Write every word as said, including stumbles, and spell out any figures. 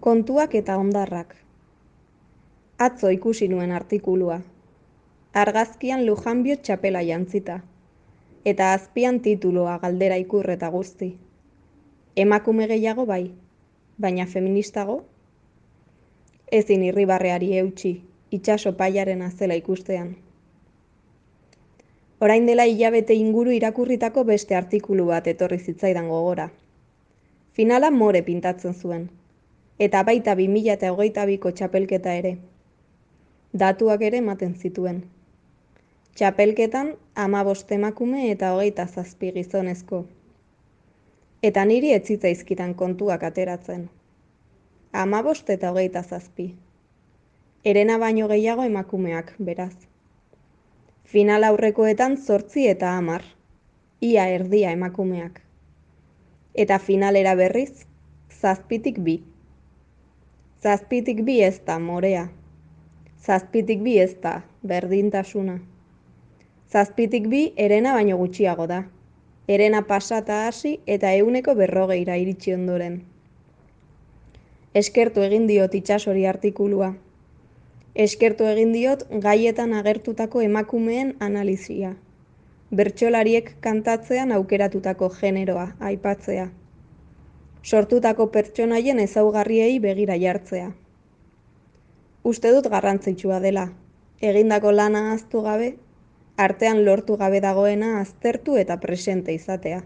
Kontuak eta hondarrak. Atzo ikusi nuen artikulua. Argazkian Lujanbio txapela jantzita. Eta azpian tituloa galdera ikur eta guzti. Emakume gehiago bai, baina feministago? Ezin irribarreari eutsi, itsaso paiaren azela ikustean. Orain dela hilabete inguru irakurritako beste artikulu bat etorri zitzaidan gogora. Finala more pintatzen zuen, eta baita bi mila hogeita biko txapelketa ere. Datuak ere ematen zituen. Txapelketan hamabost emakume eta hogeita zazpi gizonezko. Eta niri ez zitzaizkidan kontuak ateratzen. Hamabost eta hogeita zazpi. Herena baino gehiago emakumeak, beraz. Final aurrekoetan zortzi eta hamar. Ia erdia emakumeak. Eta finalera berriz, zazpitik bi. Zazpitik bi ez da morea. Zazpitik bi ez da berdintasuna. Zazpitik bi herena baino gutxiago da. Herena pasata hasi eta ehuneko berrogeira iritsi ondoren. Eskertu egin diot itsasori artikulua. Eskertu egin diot gaietan agertutako emakumeen analizia. Bertsolariek kantatzean aukeratutako generoa aipatzea. Sortutako pertsonaien ezaugarriei begira jartzea. Uste dut garrantzitsua dela, egindako lana ahaztu gabe, artean lortu gabe dagoena aztertu eta presente izatea.